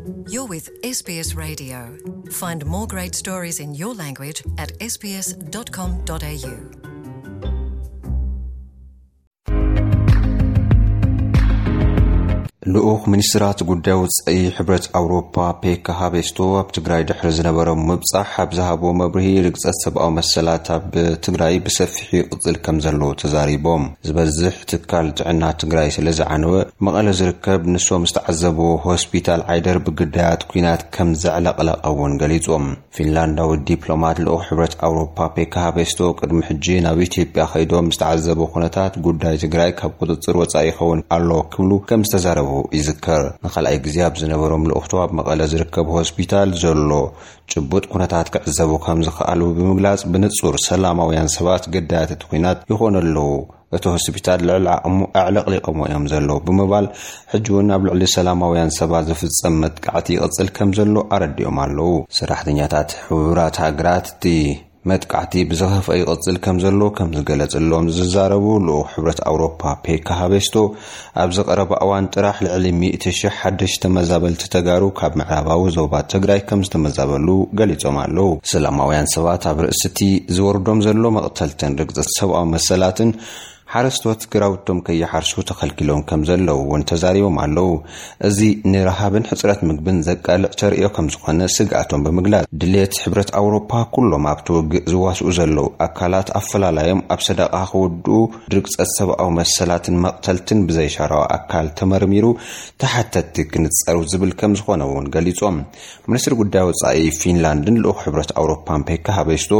You're with S B S Radio. Find more great stories in your language at S B S dot com dot A U. ልኡኽ ሚኒስትራት ጉዳይ ወጻኢ ሕብረት ኣውሮፓ ፔካ ሃቤስቶ ኣብ ትግራይ ድሕሪ ዝነበሮም ምብጻሕ ኣብ ዝሃቦ መብርሂ፣ ርግጸት ሰብኣዊ መሰላት ኣብ ትግራይ ብሰፊሑ ይቕጽል ከም ዘሎ ተዛሪቦም። ዝበዝሕ ትካል ጥዕና ትግራይ ስለ ዝዓነወ፣ መቐለ ዝርከብ ንሶም ዝተዓዘብዎ ሆስፒታል ዓይደር ብግዳያት ኲናት ከም ዘዕለቕለቐ እውን ገሊጾም። ፊንላንዳዊ ዲፕሎማት ልኡኽ ሕብረት ኣውሮፓ ፔካ ሃቤስቶ ቅድሚ ሕጂ ናብ ኢትዮጵያ ከይዶም ዝተዓዘቡ ኩነታት ጉዳይ ትግራይ ካብ ቁጽጽር ወጻኢ ይኸውን ኣሎ ክብሉ ከም ዝተዛረቡ ይዝከር። ንኻልኣይ ግዜ ኣብ ዝነበሮም ልኡኽቶ ኣብ መቐለ ዝርከብ ሆስፒታል ዘሎ ጭቡጥ ኩነታት ክዕዘቡ ከም ዝኸኣሉ ብምግላጽ፣ ብንጹር ሰላማውያን ሰባት ገዳያት እቲ ኲናት ይኾኑ ኣለዉ። እቲ ሆስፒታል ልዕሊ ዓቕሙ ኣዕለቕሊቖሞ እዮም ዘለዉ ብምባል፣ ሕጂ እውን ኣብ ልዕሊ ሰላማውያን ሰባት ዝፍጸም መጥቃዕቲ ይቕጽል ከም ዘሎ ኣረዲኦም ኣለዉ። ሰራሕተኛታት ሕቡራት ሃገራት እቲ መጥቃዕቲ ብዝኸፍአ ይቕጽል ከም ዘሎ ከም ዝገለጽሎም ዝዛረቡ ልኡኽ ሕብረት ኣውሮፓ ፔካ ሃቤስቶ፣ ኣብዚ ቀረባ እዋን ጥራሕ ልዕሊ ሚእቲ ሺሕ ሓደሽቲ ተመዛበልቲ ተጋሩ ካብ ምዕራባዊ ዞባ ትግራይ ከም ዝተመዛበሉ ገሊጾም ኣለዉ። ሰላማውያን ሰባት ኣብ ርእሲ እቲ ዝወርዶም ዘሎ መቕተልትን ርግጽት ሰብኣዊ መሰላትን ሓረስቶት ግራውቶም ከይሓርሱ ተኸልኪሎም ከም ዘለዉ እውን ተዛሪቦም ኣለዉ። እዚ ንረሃብን ሕጽረት ምግብን ዘቃልዕ ተርእዮ ከም ዝኾነ ስግኣቶም ብምግላጽ፣ ድሌት ሕብረት ኣውሮፓ ኩሎም ኣብቲ ውግእ ዝዋስኡ ዘለዉ ኣካላት ኣፈላላዮም ኣብ ሰደቓ ክውድኡ፣ ድርግጸት ሰብኣዊ መሰላትን መቕተልትን ብዘይሻራዊ ኣካል ተመርሚሩ ተሓተትቲ ክንጸሩ ዝብል ከም ዝኾነ እውን ገሊጾም። ሚኒስትሪ ጉዳይ ወጻኢ ፊንላንድን ልኡኽ ሕብረት ኣውሮፓን ፔካ ሃቤስቶ፣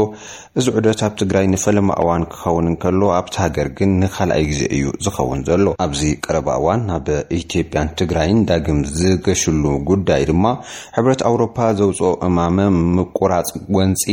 እዚ ዑደት ኣብ ትግራይ ንፈለማ እዋን ክኸውን እንከሎ፣ ኣብቲ ሃገር ግን ንኻልኣይ ግዜ እዩ ዝኸውን ዘሎ። ኣብዚ ቀረባ እዋን ናብ ኢትዮጵያን ትግራይን ዳግም ዝገሽሉ ጉዳይ ድማ፣ ሕብረት ኣውሮፓ ዘውፅኦ እማመ ምቁራፅ ጎንፂ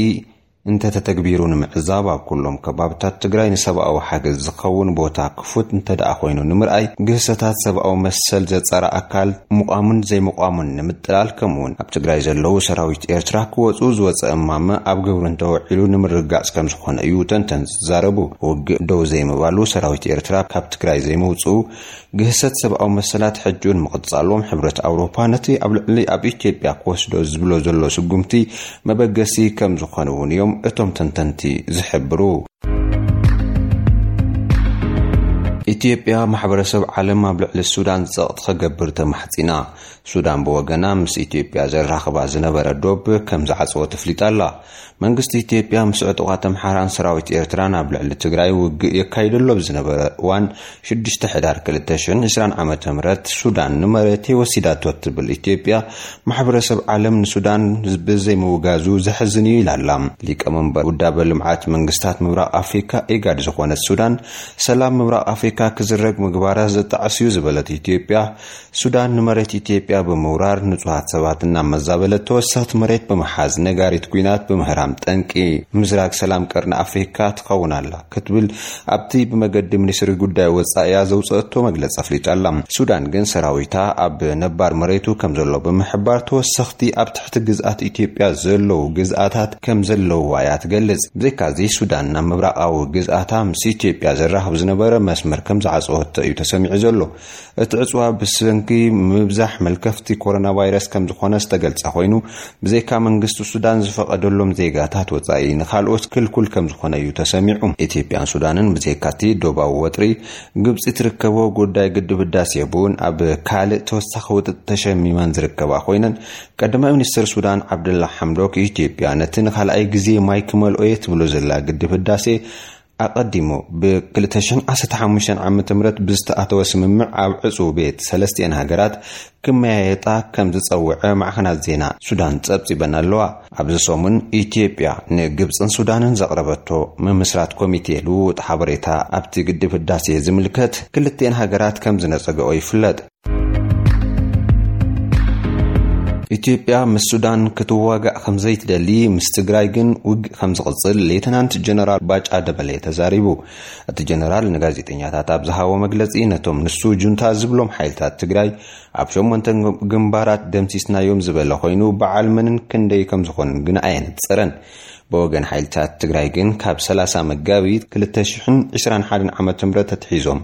እንተተተግቢሩ ንምዕዛብ፣ ኣብ ኩሎም ከባብታት ትግራይ ንሰብኣዊ ሓገዝ ዝኸውን ቦታ ክፉት እንተ ደኣ ኮይኑ ንምርኣይ፣ ግህሰታት ሰብኣዊ መሰል ዘጻሪ ኣካል ምቋሙን ዘይምቋሙን ንምጥላል፣ ከምኡውን ኣብ ትግራይ ዘለዉ ሰራዊት ኤርትራ ክወጹ ዝወጸ እማመ ኣብ ግብሪ እንተወዒሉ ንምርግጋጽ ከም ዝኾነ እዩ ተንተንቲ ዝዛረቡ። ውግእ ደው ዘይምባሉ፣ ሰራዊት ኤርትራ ካብ ትግራይ ዘይምውጽኡ፣ ግህሰት ሰብኣዊ መሰላት ሕጂ እውን ምቕጻሎም፣ ሕብረት ኣውሮፓ ነቲ ኣብ ልዕሊ ኣብ ኢትዮጵያ ክወስዶ ዝብሎ ዘሎ ስጉምቲ መበገሲ ከም ዝኾነ እውን እዮም እቶም ተንተንቲ ዝሕብሩ። ኢትዮጵያ፣ ማሕበረሰብ ዓለም ኣብ ልዕሊ ሱዳን ጸቕጢ ክገብር ተማሕጺና። ሱዳን ብወገና ምስ ኢትዮጵያ ዘራኽባ ዝነበረ ዶብ ከም ዝዓጸወት ኣፍሊጣ ኣላ። መንግስቲ ኢትዮጵያ ምስ ዕጡቓት ኣምሓራን ሰራዊት ኤርትራን ኣብ ልዕሊ ትግራይ ውግእ የካይደሎ ብዝነበረ እዋን፣ ሽዱሽተ ሕዳር ክልተ ሽሕን ዕስራን ዓመተ ምህረት ሱዳን ንመሬተይ ወሲዳቶ እትብል ኢትዮጵያ፣ ማሕበረሰብ ዓለም ንሱዳን ብዘይምውጋዙ ዘሕዝን እዩ ኢላ ኣላ። ሊቀመንበር ውዳበ ልምዓት መንግስታት ምብራቕ ኣፍሪካ፣ ኢጋድ፣ ዝኾነት ሱዳን፣ ሰላም ምብራቕ ኣፍሪካ ክዝረግ ምግባራ ዘጣዕስ እዩ ዝበለት ኢትዮጵያ፣ ሱዳን ንመሬት ኢትዮጵያ ብምውራር ንጹሃት ሰባት እናመዛበለት፣ ተወሰኽቲ መሬት ብምሓዝ፣ ነጋሪት ኲናት ብምህራም፣ ጠንቂ ምዝራግ ሰላም ቀርኒ ኣፍሪካ ትኸውን ኣላ ክትብል ኣብቲ ብመገዲ ሚኒስትሪ ጉዳይ ወጻኢያ ዘውጽአቶ መግለጺ ኣፍሊጣ ኣላ። ሱዳን ግን ሰራዊታ ኣብ ነባር መሬቱ ከም ዘሎ ብምሕባር፣ ተወሰኽቲ ኣብ ትሕቲ ግዝኣት ኢትዮጵያ ዘለዉ ግዝኣታት ከም ዘለዉዋ እያ ትገልጽ። ብዘይካዚ፣ ሱዳን ናብ ምብራቓዊ ግዝኣታ ምስ ኢትዮጵያ ዘራኽብ ዝነበረ መስመር ከም ዝዓጸወቶ እዩ ተሰሚዑ ዘሎ። እቲ ዕጽዋ ብሰንኪ ምብዛሕ መልከፍቲ ኮሮና ቫይረስ ከም ዝኾነ ዝተገልጸ ኮይኑ፣ ብዘይካ መንግስቲ ሱዳን ዝፈቐደሎም ዜጋታት ወጻኢ ንኻልኦት ክልኩል ከም ዝኾነ እዩ ተሰሚዑ። ኢትዮጵያን ሱዳንን ብዘይካቲ ዶባዊ ወጥሪ ግብጺ ትርከቦ ጉዳይ ግድብ ህዳሴ እውን ኣብ ካልእ ተወሳኺ ውጥጥ ተሸሚመን ዝርከባ ኮይነን፣ ቀዳማይ ሚኒስትር ሱዳን ዓብደላ ሓምዶክ፣ ኢትዮጵያ ነቲ ንኻልኣይ ግዜ ማይ ክመልኦ እየ ትብሎ ዘላ ግድብ ህዳሴ ኣቐዲሙ ብ ክልተ ሽሕን ዓሰርተ ሓሙሽተን ዓመተ ምህረት ብዝተኣተወ ስምምዕ ኣብ ዕጹው ቤት ሰለስቲኤን ሃገራት ክመያየጣ ከም ዝጸውዐ ማዕኸናት ዜና ሱዳን ጸብጺበን ኣለዋ። ኣብዚ ሰሙን ኢትዮጵያ ንግብጽን ሱዳንን ዘቕረበቶ ምምስራት ኮሚቴ ልውውጥ ሓበሬታ ኣብቲ ግድብ ህዳሴ ዝምልከት ክልቲኤን ሃገራት ከም ዝነጸገኦ ይፍለጥ። ኢትዮጵያ ምስ ሱዳን ክትዋጋእ ከም ዘይትደሊ፣ ምስ ትግራይ ግን ውግእ ከም ዝቕጽል ሌተናንት ጀነራል ባጫ ደበሌ ተዛሪቡ። እቲ ጀነራል ንጋዜጠኛታት ኣብ ዝሃቦ መግለጺ፣ ነቶም ንሱ ጁንታ ዝብሎም ሓይልታት ትግራይ ኣብ ሸሞንተ ግንባራት ደምሲስናዮም ዝበለ ኮይኑ፣ በዓል መንን ክንደይ ከም ዝኾኑን ግን ኣየነጸረን። ብወገን ሓይልታት ትግራይ ግን፣ ካብ ሰላሳ መጋቢት ክልተ ሽሕን ዕስራን ሓደን ዓመተ ምህረት ተትሒዞም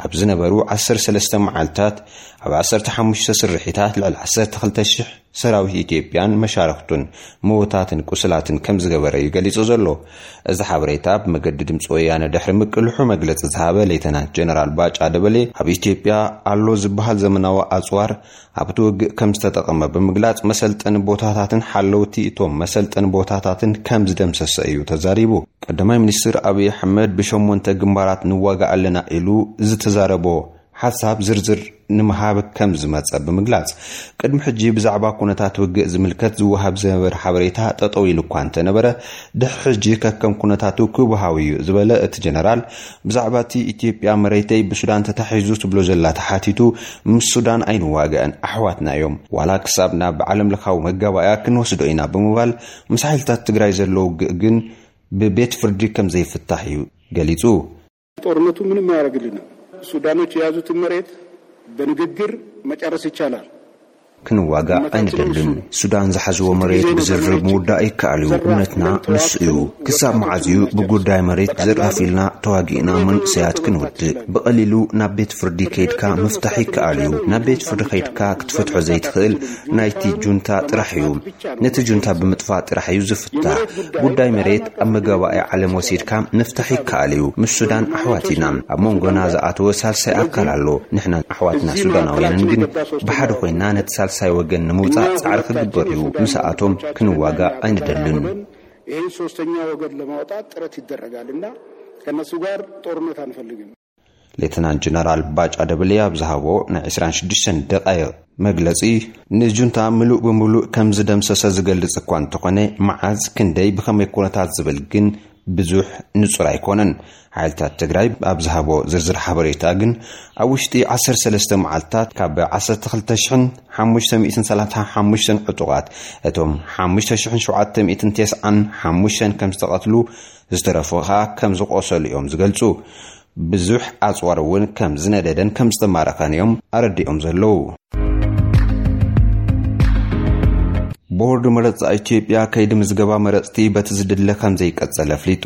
ኣብ ዝነበሩ ዓሰርተ ሰለስተ መዓልታት፣ ኣብ ዓሰርተ ሓሙሽተ ስርሒታት ልዕሊ ዓሰርተ ክልተ ሽሕ ሰራዊት ኢትዮጵያን መሻርክቱን ምውታትን ቁስላትን ከም ዝገበረ እዩ ገሊጹ ዘሎ። እዚ ሓበሬታ ብመገዲ ድምፂ ወያነ ድሕሪ ምቅልሑ መግለፂ ዝሃበ ሌተናንት ጀነራል ባጫ ደበሌ ኣብ ኢትዮጵያ ኣሎ ዝበሃል ዘመናዊ ኣፅዋር ኣብቲ ውግእ ከም ዝተጠቐመ ብምግላጽ መሰልጠኒ ቦታታትን ሓለውቲ እቶም መሰልጠኒ ቦታታትን ከም ዝደምሰሰ እዩ ተዛሪቡ። ቀዳማይ ሚኒስትር ኣብይ ኣሕመድ ብሸሞንተ ግንባራት ንዋጋእ ኣለና ኢሉ ዝተዛረቦ ሓሳብ ዝርዝር ንምሃብ ከም ዝመጸ ብምግላጽ፣ ቅድሚ ሕጂ ብዛዕባ ኩነታት ውግእ ዝምልከት ዝወሃብ ዝነበረ ሓበሬታ ጠጠው ኢሉ እኳ እንተነበረ፣ ድሕሪ ሕጂ ከከም ኩነታቱ ክወሃብ እዩ ዝበለ እቲ ጀነራል፣ ብዛዕባ እቲ ኢትዮጵያ መሬተይ ብሱዳን ተታሒዙ ትብሎ ዘላ ተሓቲቱ፣ ምስ ሱዳን ኣይንዋገእን፣ ኣሕዋትና እዮም። ዋላ ክሳብ ናብ ዓለም ለኻዊ መጋባእያ ክንወስዶ ኢና ብምባል፣ ምስ ሓይልታት ትግራይ ዘሎ ውግእ ግን ብቤት ፍርዲ ከም ዘይፍታሕ እዩ ገሊጹ። ጦርነቱ ምንም አያደርግልንም። ሱዳኖች የያዙትን መሬት በንግግር መጨረስ ይቻላል። ክንዋጋእ ኣይንደልን። ሱዳን ዝሓዝዎ መሬት ብዝርርብ ምውዳእ ይከኣል እዩ። እምነትና ንሱ እዩ። ክሳብ መዓዝ እዩ ብጉዳይ መሬት ዘራፊልና ተዋጊእና መንእሰያት ክንውድእ? ብቐሊሉ ናብ ቤት ፍርዲ ከይድካ ምፍታሕ ይከኣል እዩ። ናብ ቤት ፍርዲ ከይድካ ክትፈትሖ ዘይትኽእል ናይቲ ጁንታ ጥራሕ እዩ። ነቲ ጁንታ ብምጥፋእ ጥራሕ እዩ ዝፍታሕ። ጉዳይ መሬት ኣብ መጋባእያ ዓለም ወሲድካ ምፍታሕ ይከኣል እዩ። ምስ ሱዳን ኣሕዋት ኢና። ኣብ መንጎና ዝኣተወ ሳልሳይ ኣካል ኣሎ። ንሕና ኣሕዋትና ሱዳናውያንን ግን ብሓደ ኮይና ነቲ ሳልሳይ ወገን ንምውጻእ ጻዕሪ ክግበር እዩ። ምስኣቶም ክንዋጋእ ኣይንደልን። ይህን ሶስተኛ ወገን ለማውጣት ጥረት ይደረጋል እና ከነሱ ጋር ጦርነት አንፈልግም። ሌተናንት ጀነራል ባጫ ደበሌ ኣብ ዝሃቦ ናይ ዕስራን ሽዱሽተን ደቃይቕ መግለጺ፣ ንጁንታ ምሉእ ብምሉእ ከም ዝደምሰሰ ዝገልጽ እኳ እንተኾነ፣ መዓዝ፣ ክንደይ፣ ብኸመይ ኩነታት ዝብል ግን ብዙሕ ንጹር ኣይኮነን። ሓይልታት ትግራይ ኣብ ዝሃቦ ዝርዝር ሓበሬታ ግን፣ ኣብ ውሽጢ ዓሰርተ ሰለስተ መዓልታት ካብ ዓሰርተ ክልተ ሽሕን ሓሙሽተ ሚእትን ሰላሳን ሓሙሽተን ዕጡቓት፣ እቶም ሓሙሽተ ሽሕን ሸውዓተ ሚእትን ተስዓን ሓሙሽተን ከም ዝተቐትሉ፣ ዝተረፉ ኸኣ ከም ዝቖሰሉ እዮም ዝገልጹ። ብዙሕ ኣጽዋር እውን ከም ዝነደደን ከም ዝተማረኸን እዮም ኣረዲኦም ዘለዉ። ቦርድ መረጻ ኢትዮጵያ ከይዲ ምዝገባ መረጽቲ በቲ ዝድለ ከም ዘይቀጸለ ኣፍሊጡ።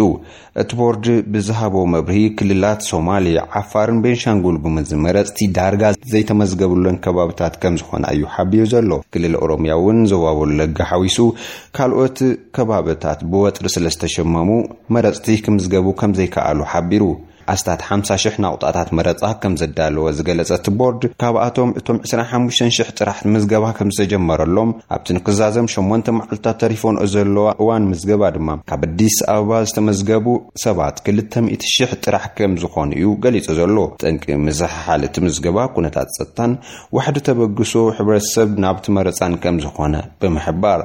እቲ ቦርድ ብዝሃቦ መብርሂ፣ ክልላት ሶማሌ፣ ዓፋርን ቤንሻንጉል ጉምዝን መረጽቲ ዳርጋ ዘይተመዝገብለን ከባብታት ከም ዝኾና እዩ ሓቢሩ ዘሎ። ክልል ኦሮሚያ እውን ዞባ ወለጋ ሓዊሱ ካልኦት ከባብታት ብወጥሪ ስለ ዝተሸመሙ መረጽቲ ክምዝገቡ ከም ዘይከኣሉ ሓቢሩ። ኣስታት ሓምሳ ሽሕ ናቑጣታት መረጻ ከም ዘዳለወ ዝገለጸ እቲ ቦርድ፣ ካብኣቶም እቶም ዕስራን ሓሙሽተን ሽሕ ጥራሕ ምዝገባ ከም ዝተጀመረሎም፣ ኣብቲ ንክዛዘም ሸሞንተ መዓልታት ተሪፎንኦ ዘለዋ እዋን ምዝገባ ድማ ካብ ኣዲስ ኣበባ ዝተመዝገቡ ሰባት ክልተ ሚእቲ ሽሕ ጥራሕ ከም ዝኾኑ እዩ ገሊጹ ዘሎ። ጠንቂ ምዝሕሓል እቲ ምዝገባ ኩነታት ጸጥታን ዋሕዲ ተበግሶ ሕብረተሰብ ናብቲ መረጻን ከም ዝኾነ ብምሕባር፣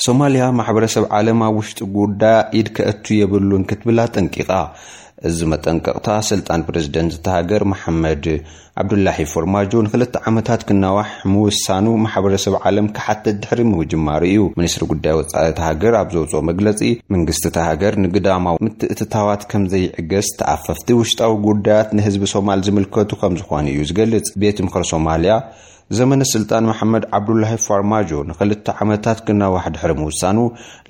ሶማልያ ማሕበረሰብ ዓለም ኣብ ውሽጢ ጉዳያ ኢድ ከእቱ የብሉን ክትብል ኣጠንቂቓ። እዚ መጠንቀቕታ ስልጣን ፕረዚደንት እታ ሃገር መሓመድ ዓብዱላሂ ፎርማጆ ንክልተ ዓመታት ክናዋሕ ምውሳኑ ማሕበረሰብ ዓለም ክሓትት ድሕሪ ምጅማሩ እዩ። ሚኒስትሪ ጉዳይ ወጻኢ እታ ሃገር ኣብ ዘውፅኦ መግለፂ፣ መንግስቲ እታ ሃገር ንግዳማዊ ምትእትታዋት ከም ዘይዕገስ፣ ተኣፈፍቲ ውሽጣዊ ጉዳያት ንህዝቢ ሶማል ዝምልከቱ ከም ዝኾኑ እዩ ዝገልጽ። ቤት ምኽሪ ሶማልያ ዘመነ ስልጣን መሓመድ ዓብዱላሂ ፋርማጆ ንክልተ ዓመታት ክናዋሕ ድሕሪ ምውሳኑ፣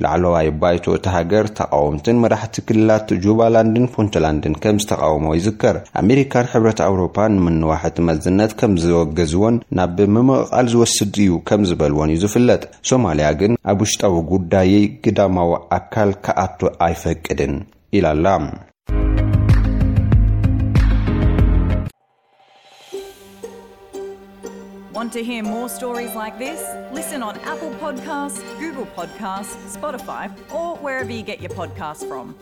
ላዕለዋይ ባይቶ እታ ሃገር፣ ተቓወምትን መራሕቲ ክልላት ጁባላንድን ፑንትላንድን ከም ዝተቓወሞ ይዝከር። ኣሜሪካን ሕብረት ኣውሮፓን ንምንዋሕ እቲ መዝነት ከም ዘወገዝዎን ናብ ምምቕቓል ዝወስድ እዩ ከም ዝበልዎን እዩ ዝፍለጥ። ሶማልያ ግን፣ ኣብ ውሽጣዊ ጉዳየይ ግዳማዊ ኣካል ክኣቱ ኣይፈቅድን ኢላ ኣላ። Want to hear more stories like this? Listen on Apple Podcasts, Google Podcasts, Spotify, or wherever you get your podcasts from.